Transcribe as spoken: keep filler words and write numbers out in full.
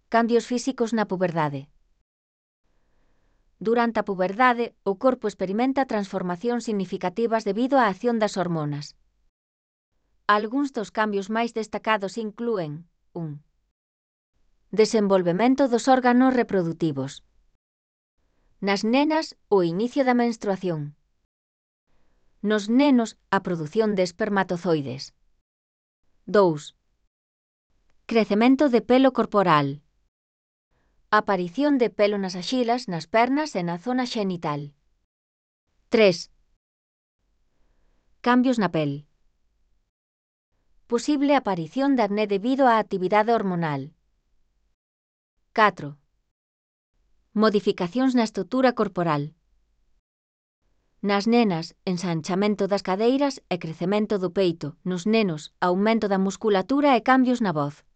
Cambios físicos na puberdade. Durante a puberdade, o corpo experimenta transformacións significativas debido á acción das hormonas. Algúns dos cambios máis destacados inclúen un Desenvolvemento dos órganos reprodutivos. Nas nenas, o inicio da menstruación. Nos nenos, a produción de espermatozoides. dous Crecemento de pelo corporal. Aparición de pelo nas axilas, nas pernas e na zona xenital. tres Cambios na pel. Posible aparición de acné debido á actividade hormonal. catro Modificacións na estrutura corporal. Nas nenas, ensanchamento das cadeiras e crecemento do peito. Nos nenos, aumento da musculatura e cambios na voz.